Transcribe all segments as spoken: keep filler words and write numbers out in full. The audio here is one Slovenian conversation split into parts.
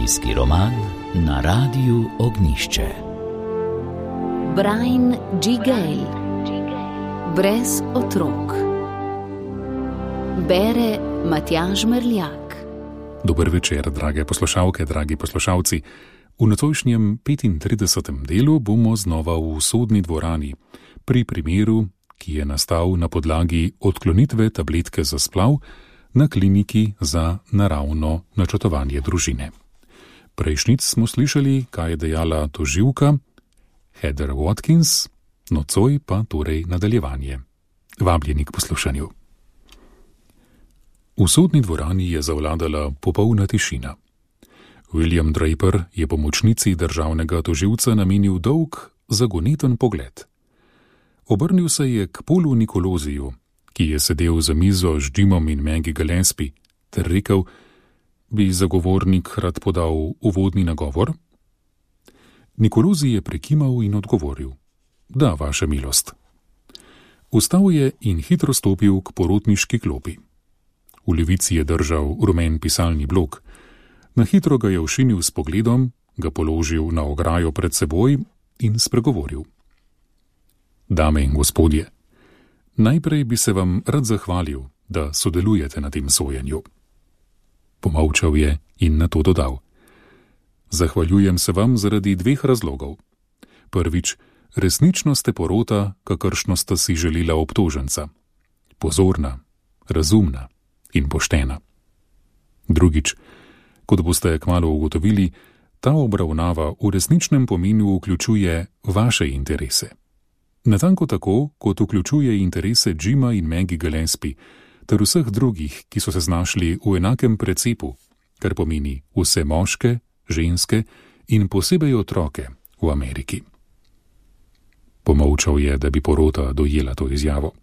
Zimski roman na Radiu Ognjišče. Brian G. Gale. Brez otrok. Bere Matjaž Merljak. Dober večer, drage poslušalke, dragi poslušalci. V nocojšnjem petintridesetem delu bomo znova v sodni dvorani pri primeru, ki je nastal na podlagi odklonitve tabletke za splav na kliniki za naravno načrtovanje družine. Prejšnjič smo slišali, kaj je dejala tožilka Heather Watkins, nocoj pa torej nadaljevanje. Vabljeni k poslušanju. V sodni dvorani je zavladala popolna tišina. William Draper je pomočnici državnega tožilca namenil dolg, zagoneten pogled. Obrnil se je k Paulu Nikoloziju, ki je sedel za mizo z Jimom in Maggie Gillespie, ter rekel, bi zagovornik rad podal uvodni nagovor? Nikolozi je prekimal in odgovoril, da, vaša milost. Vstal je in hitro stopil k porotniški klopi. V levici je držal rumen pisalni blok. Na hitro ga je ošinil s pogledom, ga položil na ograjo pred seboj in spregovoril. Dame in gospodje, najprej bi se vam rad zahvalil, da sodelujete na tem sojenju. Pomolčal je in nato dodal. Zahvaljujem se vam zaradi dveh razlogov. Prvič, resnično ste porota, kakršno sta si želela obtoženca. Pozorna, razumna in poštena. Drugič, kot boste kmalu ugotovili, ta obravnava v resničnem pomenu vključuje vaše interese. Natanko tako, kot vključuje interese Jima in Maggie Gillespie, ter vseh drugih, ki so se znašli v enakem precepu, kar pomeni vse moške, ženske in posebej otroke v Ameriki. Pomolčal je, da bi porota dojela to izjavo.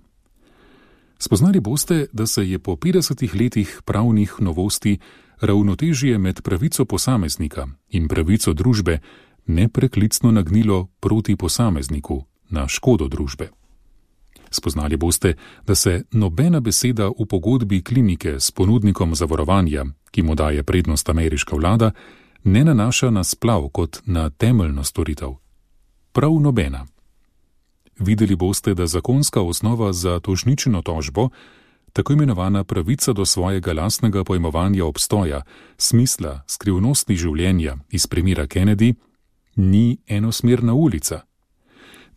Spoznali boste, da se je po petdesetih letih pravnih novosti ravnotežje med pravico posameznika in pravico družbe nepreklicno nagnilo proti posamezniku na škodo družbe. Spoznali boste, da se nobena beseda v pogodbi klinike s ponudnikom zavarovanja, ki mu daje prednost ameriška vlada, ne nanaša na splav kot na temeljno storitev. Prav nobena. Videli boste, da zakonska osnova za tožničino tožbo, tako imenovana pravica do svojega lastnega pojmovanja obstoja, smisla, skrivnosti življenja iz primera Kennedy, ni enosmerna ulica.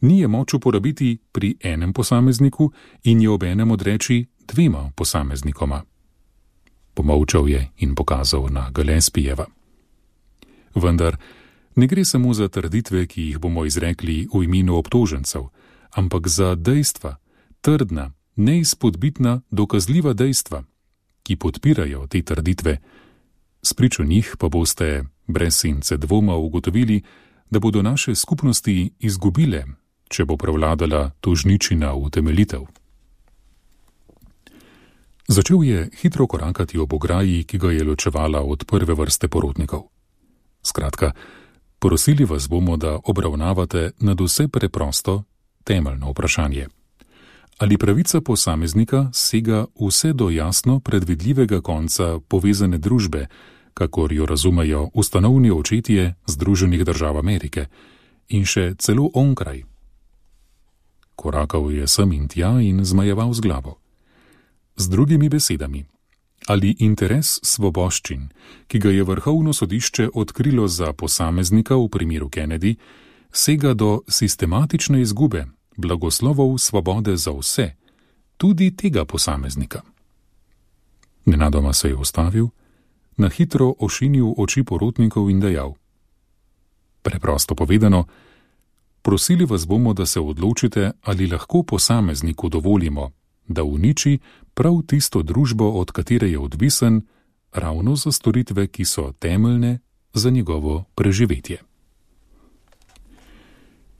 Ni je moč uporabiti pri enem posamezniku in je obenem odreči dvema posameznikoma. Pomolčal je in pokazal na Gillespiejeva. Vendar ne gre samo za trditve, ki jih bomo izrekli v imenu obtožencev, ampak za dejstva, trdna, neizpodbitna, dokazljiva dejstva, ki podpirajo te trditve. Spričo njih pa boste brez sence dvoma ugotovili, da bodo naše skupnosti izgubile, če bo prevladala tožničina utemeljitev. Začel je hitro korakati ob ograji, ki ga je ločevala od prve vrste porotnikov. Skratka, prosili vas bomo, da obravnavate nadvse preprosto, temeljno vprašanje. Ali pravica posameznika sega vse do jasno predvidljivega konca povezane družbe, kakor jo razumejo ustanovni očetje Združenih držav Amerike, in še celo onkraj? Korakal je sem in tja in zmajeval z glavo. Z drugimi besedami, ali interes svoboščin, ki ga je vrhovno sodišče odkrilo za posameznika v primeru Kennedy, sega do sistematične izgube blagoslovov svobode za vse, tudi tega posameznika. Nenadoma se je ustavil, na hitro ošinil oči porotnikov in dejal. Preprosto povedano, prosili vas bomo, da se odločite, ali lahko posamezniku dovolimo, da uniči prav tisto družbo, od katere je odvisen, ravno za storitve, ki so temeljne za njegovo preživetje.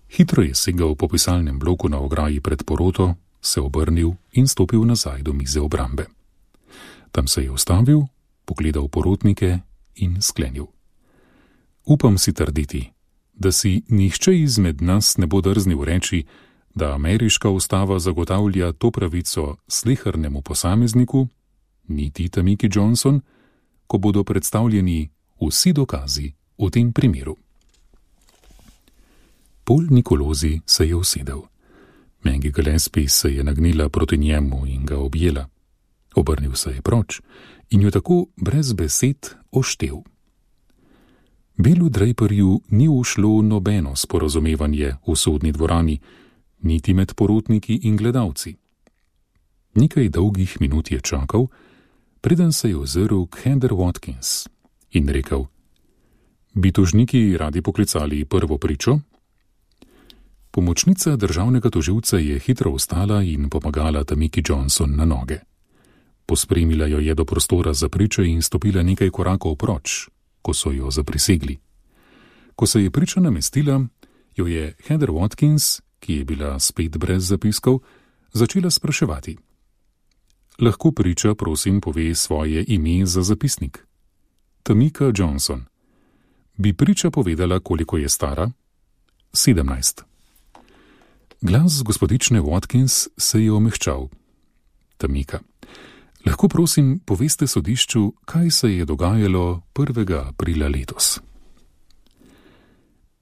Hitro je segal po pisalnem bloku na ograji pred poroto, se obrnil in stopil nazaj do mize obrambe. Tam se je ustavil, pogledal porotnike in sklenil. Upam si trditi, da si nihče izmed nas ne bo drznil reči, da ameriška ustava zagotavlja to pravico slehernemu posamezniku, niti Tamiki Johnson, ko bodo predstavljeni vsi dokazi v tem primeru. Paul Nicolosi se je usedel. Maggie Gillespie se je nagnila proti njemu in ga objela. Obrnil se je proč in jo tako brez besed oštel. Billu Draperju ni ušlo nobeno sporazumevanje v sodni dvorani, niti med porotniki in gledalci. Nekaj dolgih minut je čakal, preden se je ozrl k Heather Watkins in rekel: Bi tožniki radi poklicali prvo pričo? Pomočnica državnega tožilca je hitro vstala in pomagala Tamiki Johnson na noge. Pospremila jo je do prostora za priče in stopila nekaj korakov proč, ko so jo zaprisegli. Ko se je priča namestila, jo je Heather Watkins, ki je bila spet brez zapiskov, začela spraševati. Lahko priča, prosim, pove svoje ime za zapisnik. Tamika Johnson. Bi priča povedala, koliko je stara? Sedemnajst. Glas gospodične Watkins se je omehčal. Tamika. Lahko prosim poveste sodišču, kaj se je dogajalo prvega aprila letos.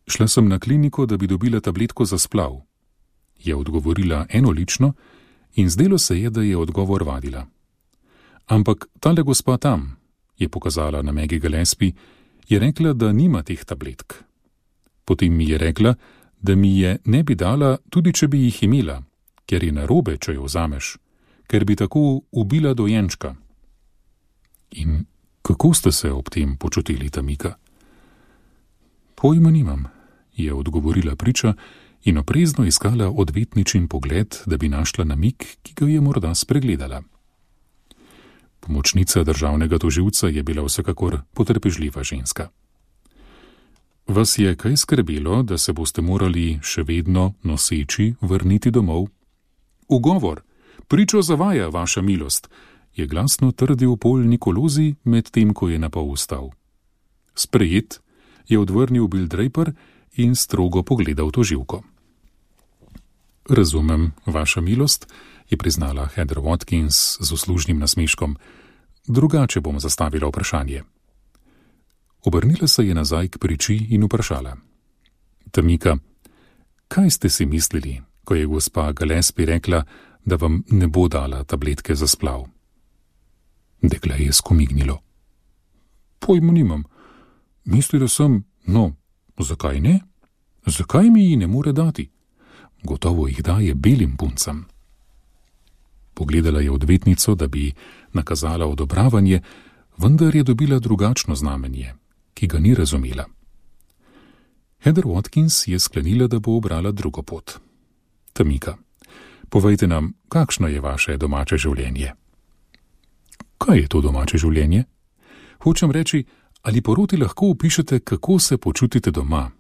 Šla sem na kliniko, da bi dobila tabletko za splav, je odgovorila enolično in zdelo se je, da je odgovor vadila. Ampak tale gospa tam, je pokazala na Maggie Gillespie, je rekla, da nima teh tabletk. Potem mi je rekla, da mi je ne bi dala, tudi če bi jih imela, ker je narobe, če jo vzameš, ker bi tako ubila dojenčka. In kako ste se ob tem počutili, Tamika? Pojma nimam, je odgovorila priča in oprezno iskala odvetničin pogled, da bi našla namig, ki ga je morda spregledala. Pomočnica državnega tožilca je bila vsekakor potrpežljiva ženska. Vas je kaj skrbelo, da se boste morali še vedno noseči vrniti domov? Ugovor, pričo zavaja, vaša milost, je glasno trdil Paul Nicolosi, med tem, ko je napol vstal. Sprejet, je odvrnil Bill Draper in strogo pogledal tožilko. Razumem, vaša milost, je priznala Heather Watkins z uslužnim nasmeškom. Drugače bom zastavila vprašanje. Obrnila se je nazaj k priči in vprašala. Tamika, kaj ste si mislili, ko je gospa Gillespie rekla, da vam ne bo dala tabletke za splav? Dekle je skomignilo. Pojma nimam. Mislila sem, no, zakaj ne? Zakaj mi ji ne more dati? Gotovo jih daje belim puncam. Pogledala je odvetnico, da bi nakazala odobravanje, vendar je dobila drugačno znamenje, ki ga ni razumela. Heather Watkins je sklenila, da bo obrala drugo pot. Tamika, povejte nam, kakšno je vaše domače življenje? Kaj je to domače življenje? Hočem reči, ali poroti lahko opišete, kako se počutite doma?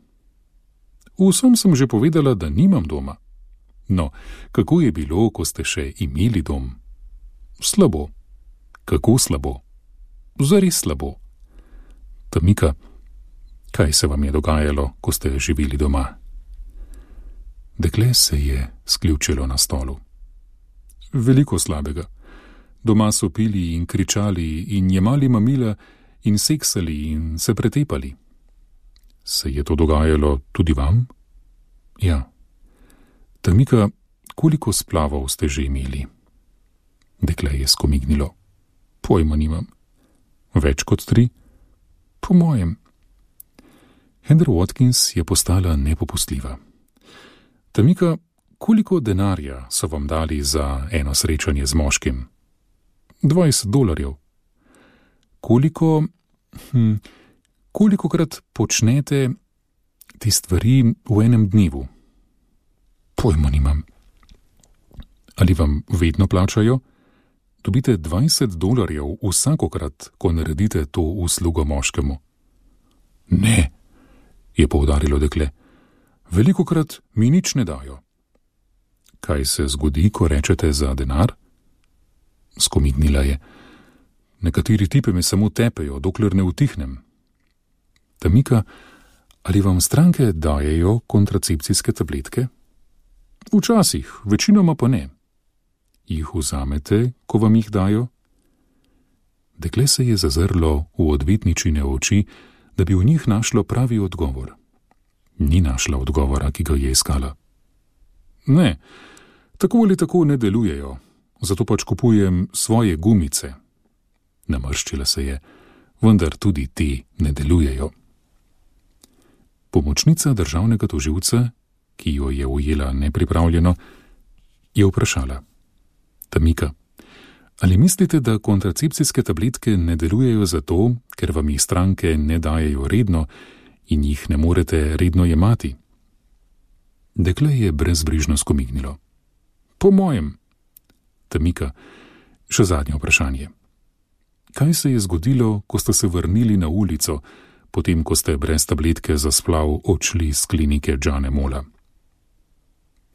Vsem sem že povedala, da nimam doma. No, kako je bilo, ko ste še imeli dom? Slabo. Kako slabo? Zares slabo. Tamika, kaj se vam je dogajalo, ko ste živeli doma? Dekle se je sključilo na stolu. Veliko slabega. Doma so pili in kričali in jemali mamila in seksali in se pretepali. Se je to dogajalo tudi vam? Ja. Tamika, koliko splavov ste že imeli? Dekle je skomignilo. Pojma nimam. Več kot tri? Po mojem. Heather Watkins je postala nepopustljiva. Tamika, koliko denarja so vam dali za eno srečanje z moškim? Dvajset dolarjev. Koliko, hm, kolikokrat počnete te stvari v enem dnevu? Pojma nimam. Ali vam vedno plačajo? Dobite dvajset dolarjev vsakokrat, ko naredite to uslugo moškemu. Ne, je poudarilo dekle. Velikokrat mi nič ne dajo. Kaj se zgodi, ko rečete za denar? Skomignila je. Nekateri tipe me samo tepejo, dokler ne utihnem. Tamika, ali vam stranke dajejo kontracepcijske tabletke? Včasih, večinoma pa ne. Jih vzamete, ko vam jih dajo? Dekle se je zazrlo v odvetničine oči da bi v njih našlo pravi odgovor. Ni našla odgovora, ki ga je iskala. Ne, tako ali tako ne delujejo, zato pač kupujem svoje gumice. Namrščila se je, vendar tudi te ne delujejo. Pomočnica državnega tožilca, ki jo je ujela nepripravljeno, je vprašala: Tamika, ali mislite, da kontracepcijske tabletke ne delujejo zato, ker vam jih stranke ne dajejo redno in jih ne morete redno jemati? Dekle je brezbrižno skomignilo. Po mojem. Tamika, še zadnje vprašanje. Kaj se je zgodilo, ko ste se vrnili na ulico, potem ko ste brez tabletke za splav odšli z klinike Johna Molla?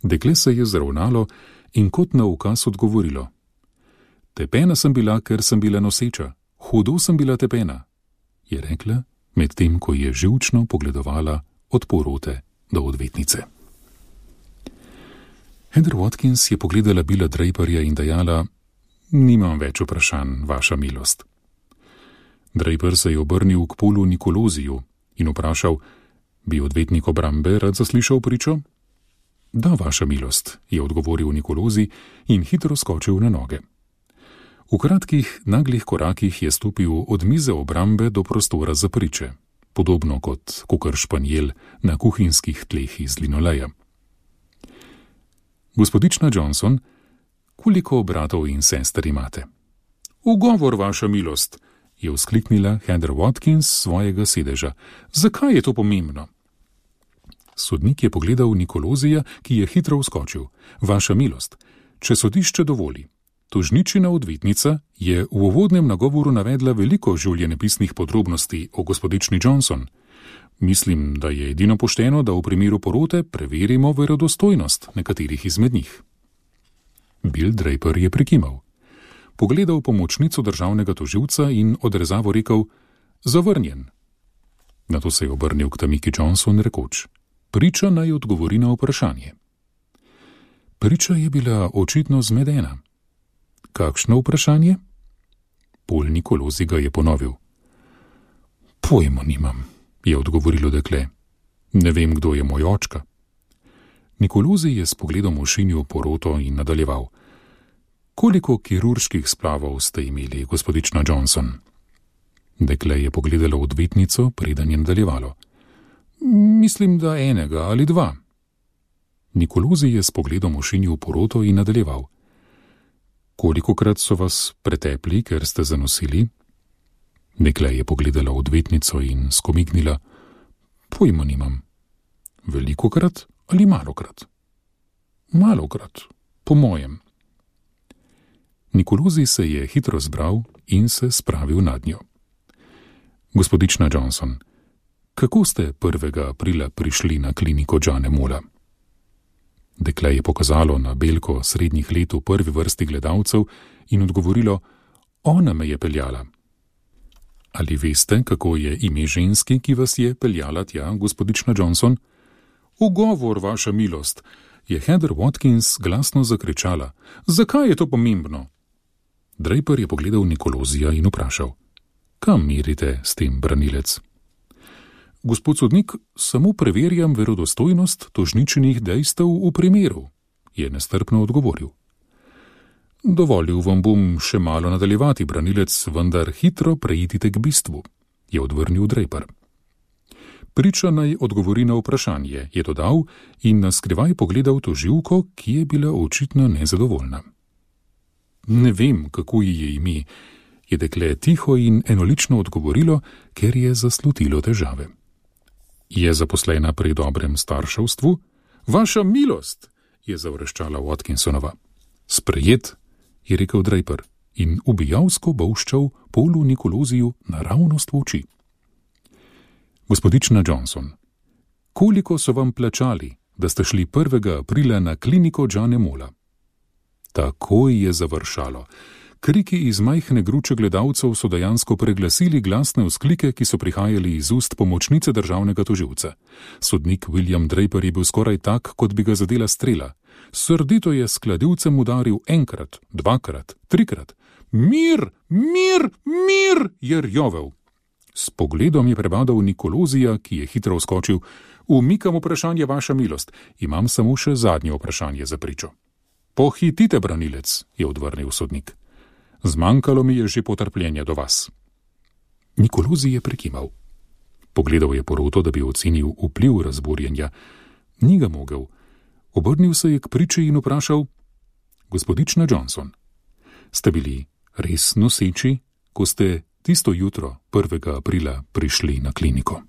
Dekle se je zravnalo in kot na ukaz odgovorilo: Tepena sem bila, ker sem bila noseča, hudo sem bila tepena, je rekla, medtem ko je živčno pogledovala od porote do odvetnice. Heather Watkins je pogledala Billa Draperja in dejala: Nimam več vprašanj, vaša milost. Draper se je obrnil k Paulu Nikoloziju in vprašal: Bi odvetnik obrambe rad zaslišal pričo? Da, vaša milost, je odgovoril Nikolozi in hitro skočil na noge. V kratkih, naglih korakih je stopil od mize obrambe do prostora za priče, podobno kot kakor španjel na kuhinjskih tleh iz linoleja. Gospodična Johnson, koliko bratov in sester imate? Ugovor, vaša milost, je vzkliknila Heather Watkins s svojega sedeža. Zakaj je to pomembno? Sodnik je pogledal Nikolozija, ki je hitro vskočil. Vaša milost, če sodišče dovoli. Tožničina odvetnica je v uvodnem nagovoru navedla veliko življenjepisnih podrobnosti o gospodični Johnson. Mislim, da je edino pošteno, da v primeru porote preverimo verodostojnost nekaterih izmed njih. Bill Draper je prikimal. Pogledal pomočnico državnega tožilca in odrezavo rekel: Zavrnjen. Nato se je obrnil k Tamiki Johnson rekoč: Priča naj odgovori na vprašanje. Priča je bila očitno zmedena. Kakšno vprašanje? Paul Nikolozi ga je ponovil. Pojma nimam, je odgovorilo dekle. Ne vem, kdo je moj očka. Nikolozi je s pogledom ošinil poroto in nadaljeval. Koliko kirurških splavov ste imeli, gospodična Johnson? Dekle je pogledalo odvetnico, preden je nadaljevalo. Mislim, da enega ali dva. Nikolozi je s pogledom ošinil poroto in nadaljeval. Kolikokrat so vas pretepli, ker ste zanosili? Dekle je pogledala odvetnico in skomignila. Pojma nimam. Velikokrat ali malokrat? Malokrat, po mojem. Nikolozi se je hitro zbral in se spravil nad njo. Gospodična Johnson, kako ste prvega aprila prišli na kliniko Johna Molla? Dekle je pokazalo na belko srednjih let v prvi vrsti gledalcev in odgovorilo: Ona me je peljala. Ali veste, kako je ime ženski, ki vas je peljala tja, gospodična Johnson? Ugovor, vaša milost, je Heather Watkins glasno zakričala. Zakaj je to pomembno? Draper je pogledal Nikolozija in vprašal: Kam merite s tem, branilec? Gospod sodnik, samo preverjam verodostojnost tožničinih dejstev v primeru, je nestrpno odgovoril. Dovolil vam bom še malo nadaljevati, branilec, vendar hitro preidite k bistvu, je odvrnil Draper. Priča naj odgovori na vprašanje, je dodal in naskrivaj pogledal tožilko, ki je bila očitno nezadovoljna. Ne vem, kako ji je ime, je dekle tiho in enolično odgovorilo, ker je zaslutilo težave. Je zaposlena pri dobrem starševstvu? Vaša milost, je zavreščala Watkinsonova. Sprejet, je rekel Draper in ubijalsko bolščal Paulu Nikoloziju naravnost v oči. Gospodična Johnson, koliko so vam plačali, da ste šli prvega aprila na kliniko Johna Molla? Takoj je završalo. Kriki iz majhne gruče gledalcev so dejansko preglasili glasne vzklike, ki so prihajali iz ust pomočnice državnega tožilca. Sodnik William Draper je bil skoraj tak, kot bi ga zadela strela. Srdito je s kladivcem udaril enkrat, dvakrat, trikrat. Mir, mir, mir, je rjovel. S pogledom je prebadal Nikolozija, ki je hitro vskočil. Umikam vprašanje, vaša milost, imam samo še zadnje vprašanje za pričo. Pohitite, branilec, je odvrnil sodnik. Zmanjkalo mi je že potrpljenja do vas. Nikolozij je prekimal. Pogledal je poroto, da bi ocenil vpliv razburjenja. Ni ga mogel. Obrnil se je k priči in vprašal: Gospodična Johnson, ste bili res noseči, ko ste tisto jutro prvega aprila prišli na kliniko?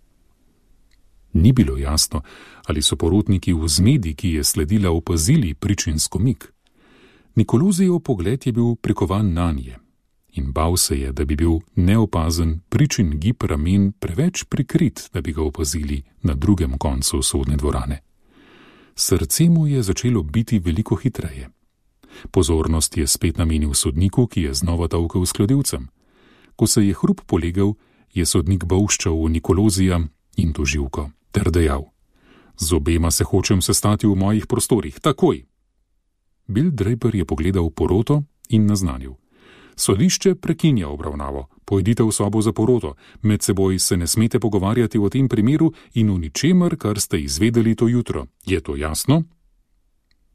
Ni bilo jasno, ali so porotniki v zmedi, ki je sledila, opazili pričin skomik. Nikolozijev pogled je bil prikovan nanje in bal se je, da bi bil neopazen pričin gib ramen preveč prikrit, da bi ga opazili na drugem koncu sodne dvorane. Srce mu je začelo biti veliko hitreje. Pozornost je spet namenil sodniku, ki je znova tolkel s kladivcem. Ko se je hrup polegel, je sodnik bolščal v Nikolozija in tožilko ter dejal: Z obema se hočem sestati v mojih prostorih, takoj. Bill Draper je pogledal poroto in naznanil: Sodišče prekinja obravnavo, pojdite v sobo za poroto, med seboj se ne smete pogovarjati o tem primeru in o ničemer, kar ste izvedeli to jutro. Je to jasno?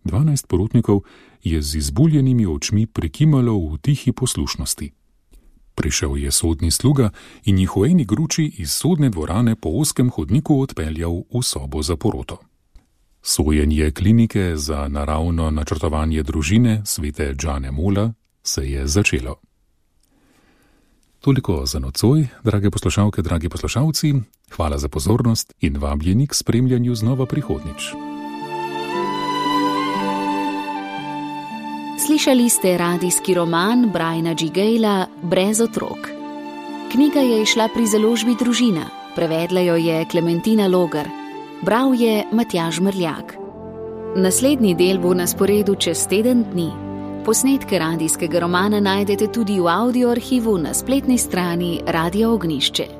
Dvanajst porotnikov je z izbuljenimi očmi prikimalo v tihi poslušnosti. Prišel je sodni sluga in jih v eni gruči iz sodne dvorane po ozkem hodniku odpeljal v sobo za poroto. Sojenje klinike za naravno načrtovanje družine svete Jane Mola se je začelo. Toliko za nocoj, drage poslušalke, dragi poslušalci, hvala za pozornost in vabljeni k spremljanju znova prihodnjič. Slišali ste radijski roman Briana G. Gala Brez otrok. Knjiga je izšla pri založbi Družina, prevedla jo je Klementina Logar, bral je Matjaž Mrljak. Naslednji del bo na sporedu čez teden dni. Posnetke radijskega romana najdete tudi v audio arhivu na spletni strani Radia Ognjišče.